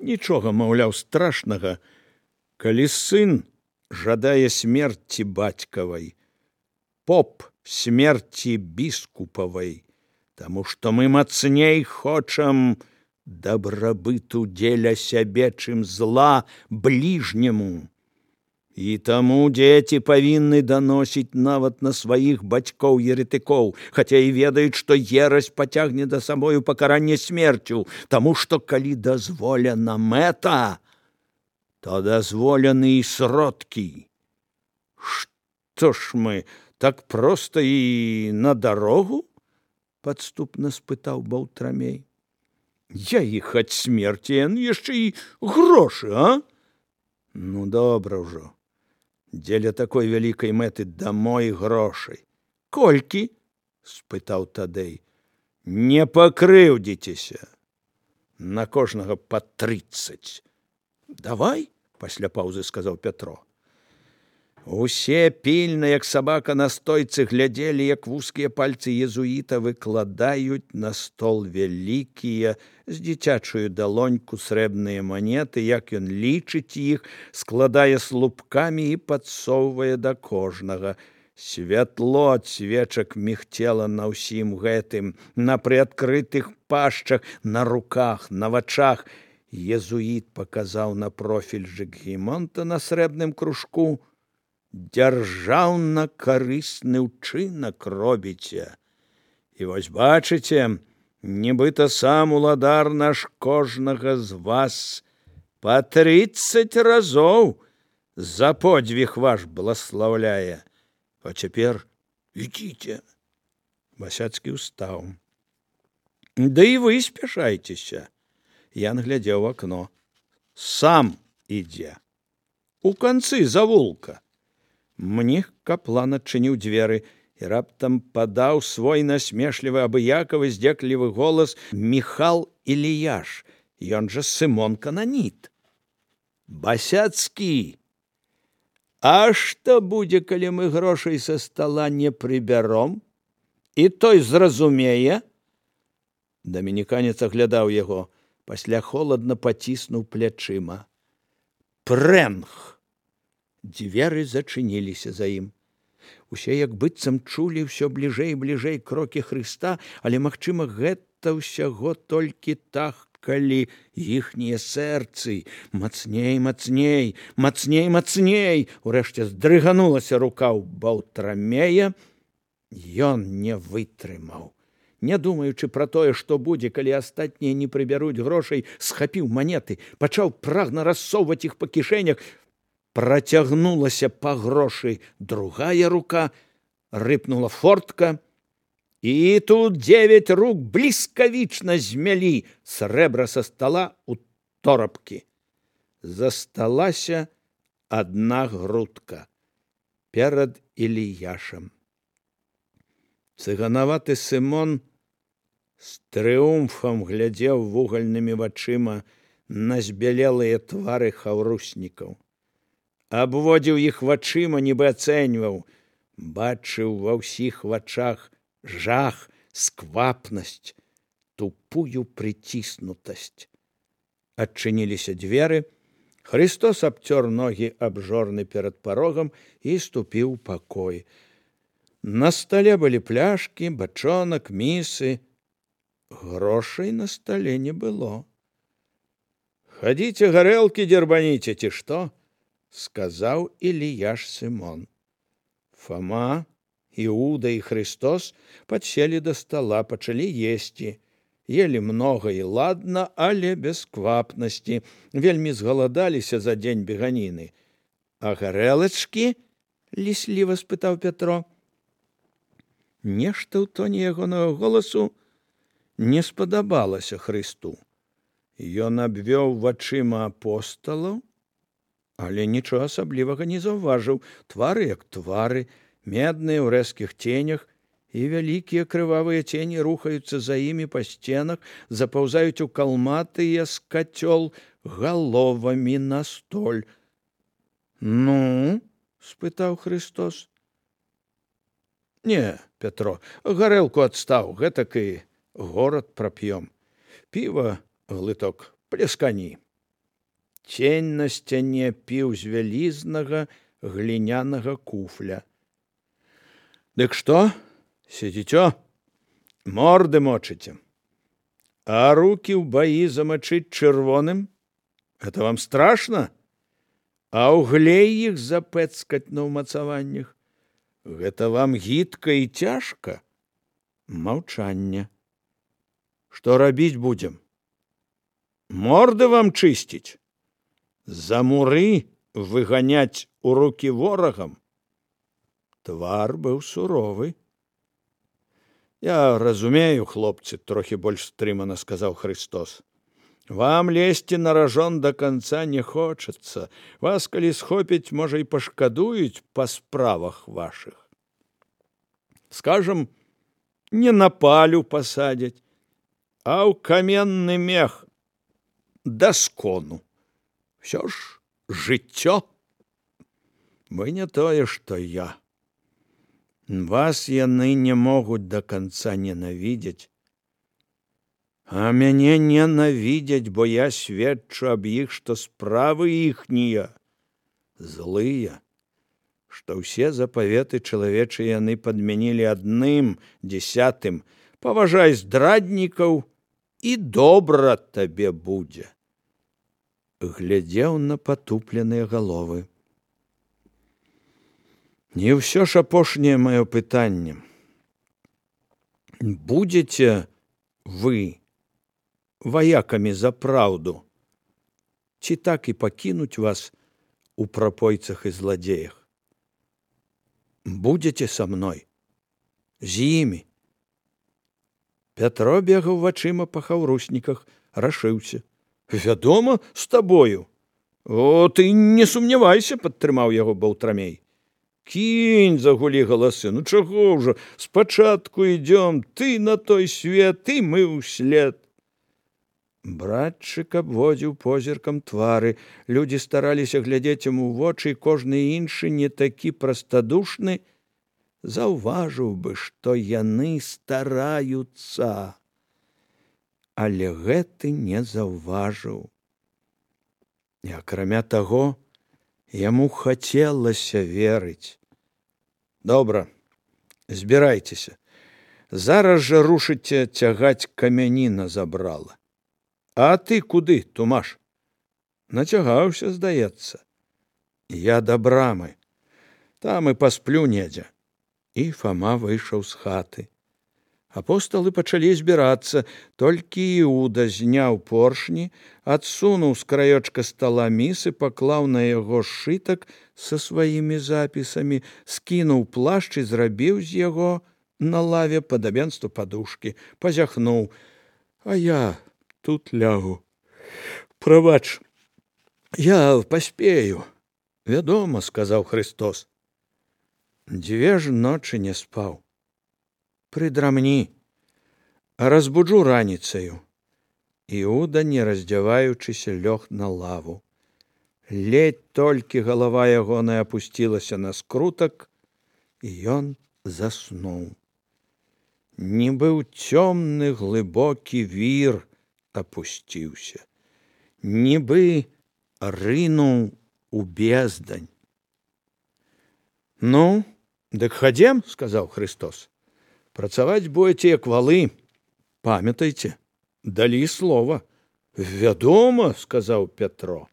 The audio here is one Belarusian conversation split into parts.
Нічога, маўляў, страшнага, калі сын жадае смерці бацькавай, поп смерці біскупавай, таму што мы мацней хочам дабрабыту дзеля сябе, чым зла бліжняму. І таму дзеці павінны даносіць нават на сваіх бацькоў-еретыкоў, хаця і ведаюць, што ерась пацягне да сабою пакаранне смерцю, таму што калі дазволена мэта, то дазволены і сродкі. Што ж мы, так проста і на дарогу? Падступна спытаў Баўтрамей. Я іх ад смерці, яшчэ і грошы, а? Ну, добра ўжо. Дзеля такой вялікай мэты дамой грошай. Колькі? Спытаў Тадэй. Не пакрыўдзіцеся. На кожнага па 30. Давай, пасля паўзы сказаў Пятро. Усе пільна, як сабака на стойцы, глядзелі, як вузкія пальцы езуіта выкладаюць на стол вялікія з дзіцячую далоньку срэбныя манеты, як ён лічыць іх, складае слупкамі і падсоўвае да кожнага. Святло ад свечак мігцела на ўсім гэтым, на прыадкрытых пашчах, на руках, на вачах. Езуіт паказаў на профільжык Гімонта на срэбным кружку. Дзяржаўна-карысны ўчынак робіце. І вось бачыце, нібыта сам уладар наш кожнага з вас па 30 разоў за подзвіг ваш бласлаўляе. А цяпер ідзіце. Басяцкі ўстаў. Да і вы спяшайцеся. Ян глядзеў у акно. Сам ідзе. У канцы завулка. Мніх каплан адчыніў дзверы і раптам падаў свой насмешлівы, абыякавы, здзеклівы голас Міхал Іліяш, ён жа Сымон Кананіт. Басяцкі, а што будзе, калі мы грошай са стала не прыбяром? І той зразумее? Дамініканец аглядаў яго, пасля холадна паціснуў плячыма. Прэнг! Дзверы зачыніліся за ім. Усе як быццам чулі ўсё бліжэй і бліжэй крокі Хрыста, але, магчыма, гэта ўсяго толькі тахкалі іхнія сэрцы. Мацней, мацней, мацней, мацней. Урэшце здрыганулася рука ў Баўтрамея. Ён не вытрымаў. Не думаючы пра тое, што будзе, калі астатнія не прыбяруць грошай, схапіў манеты, пачаў прагна рассоўваць іх па кішэнях. Працягнулася па грошы другая рука, рыпнула фортка, і тут 9 рук бліскавічна змялі срэбра са стала ў торапкі. Засталася адна грудка перад Іліяшам. Цыганаваты Сымон з трыумфам глядзеў вугальнымі вачыма на збялелыя твары хаўруснікаў. Абводзіў іх вачыма, нібы ацэньваў, бачыў ва ўсіх вачах жах, сквапнасць, тупую прыціснутасць. Адчыніліся дзверы, Хрыстос абцёр ногі аб жорны перад парогам і ступіў у пакой. На стале былі пляшкі, бачонак, місы. Грошай на стале не было. «Хадзіце гарэлкі дзербаніце, ці што?» сказаў Іліяш Сымон. Фама, Іуда і Хрыстос падселі да стала, пачалі есці. Елі многа і ладна, але без квапнасці. Вельмі згаладаліся за дзень беганіны. А гарэлачкі? Лісліва спытаў Пятро. Нешта ў тоне ягонага голасу не спадабалася Хрысту. Ён абвёў вачыма апосталаў, але нічога асаблівага не заўважыў. Твары як твары, медныя ў рэзкіх ценях, і вялікія крывавыя цені рухаюцца за імі па сценах, запаўзаюць у калматыя з кацёл галовамі на столь. «Ну?» – спытаў Хрыстос. «Не, Пятро, гарэлку адстаў, гэтак і горад прап'ём. Піва, глыток, пляскані». Цень на сцяне піў з вялізнага глінянага куфля. Дык што, сидзіцё, морды мочыце, а рукі ў баі замачыць чырвоным? Гэта вам страшна? А ўглей іх запэцкаць на ўмацаваннях? Гэта вам гідка і цяжка? Маўчанне. Што рабіць будзем? Морды вам чысціць? За муры выганяць у рукі ворагам? Твар быў суровы. Я разумею, хлопцы, трохі больш стрымана сказаў Христос. Вам лезці на ражон да канца не хочацца. Вас, калі схопяць, можа, і пашкадуюць па справах вашых. Скажам, не на палю пасадзяць, а ў каменны мех да скону. Всё ж жыццё. Вы не тое, што я. Вас яны не могуць да канца ненавідзець, а мяне ненавідзяць, бо я сведчу аб іх, што справы іхнія злыя, што ўсе запаветы чалавечыя яны падмянілі 1, 10. Паважай здраднікаў, і добра табе будзе. Глядзеў на патупленыя галовы. Не ўсё ж апошняе маё пытанне. Будзеце вы ваякамі за праўду, ці так і пакінуць вас у прапойцах і зладзеях? Будзеце са мной? З імі? Пятро бегаў вачыма па хаўрусніках, рашыўся. Вядома, з табою. О, ты не сумнявайся, падтрымаў яго Баўтрамей. Кінь, загулі галасы, ну чаго ўжо, спачатку ідём, ты на той свет, і мы ўслед. Братчык абводзіў позіркам твары, людзі стараліся глядзець яму ў вочы, і кожны іншы, не такі прастадушны, заўважыў бы, што яны стараюцца. Але гэты не заўважыў. І акрамя таго, яму хацелася верыць. Добра, збірайцеся. Зараз жа рушыце цягаць камяні на забрала. А ты куды, Тумаш? Нацягаўся, здаецца. Я да брамы. Там і пасплю недзе. І Фама выйшаў з хаты. Апосталы пачалі збірацца, толькі Іуда зняў поршні, адсунуў з краёчка стала міс і паклаў на яго сшытак са сваімі запісамі, скінуў плашч і зрабіў з яго на лаве падабенства падушкі, пазяхнуў. А я тут лягу. Прабач, я паспею. Вядома, сказаў Христос. 2 ж ночы не спаў. Прыдрамні, а разбуджу раніцаю. Іуда, не раздзяваючыся, лёг на лаву. Ледь толькі галава ягоная апусцілася на скрутак, і ён заснуў. Нібы ў цёмны глыбокі вір апусціўся, нібы рынуў у бездань. Ну, дык хадзем, сказаў Христос. Працаваць будзеце як валы. Памятайце, далі слова. Вядома, сказаў Пятро.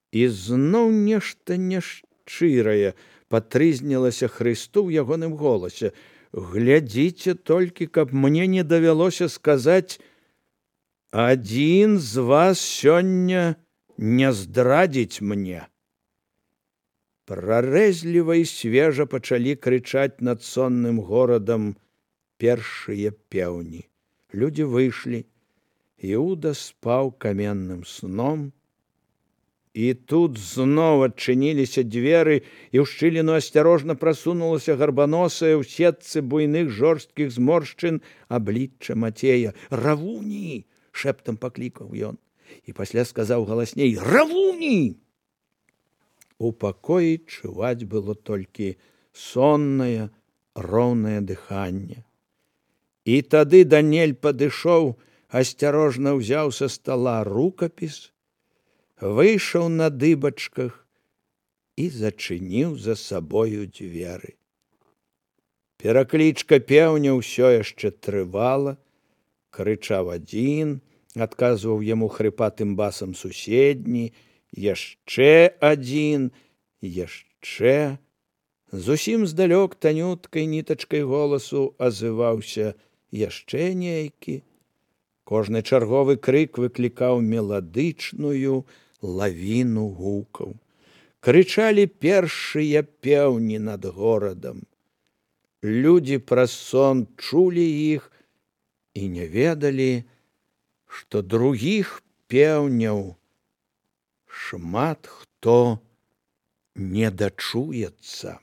І зноў нешта няшчырае патрызнілася Христу ў ягоным голасе. Глядзіце толькі, каб мне не давялося сказаць: адзін з вас сёння не здрадзіць мне. Прарэзліва і свежа пачалі крычаць над сонным горадам першыя пеўні. Людзі выйшлі. Іуда спаў каменным сном. І тут зноў адчыніліся дзверы, і ў шчыліну асцярожна прасунулася гарбаносая ў сетцы буйных жорсткіх зморшчын аблічча Мацея. «Равуні!» – шэптам паклікаў ён. І пасля сказаў галасней: «Равуні!» У пакоі чуваць было толькі соннае, роўнае дыханне. І тады Даниэль падышоў, асцярожна ўзяў са стала рукапіс, выйшаў на дыбачках і зачыніў за сабою дзверы. Пераклічка пеўня ўсё яшчэ трывала, крычаў адзін, адказваў яму хрыпатым басам суседні, яшчэ адзін, яшчэ. Зусім здалёк танюткай нітачкай голасу азываўся яшчэ нейкі. Кожны чарговы крык выклікаў меладычную лавіну гукаў. Крычалі першыя пеўні над горадам. Людзі праз сон чулі іх і не ведалі, што другіх пеўняў шмат хто не дачуецца.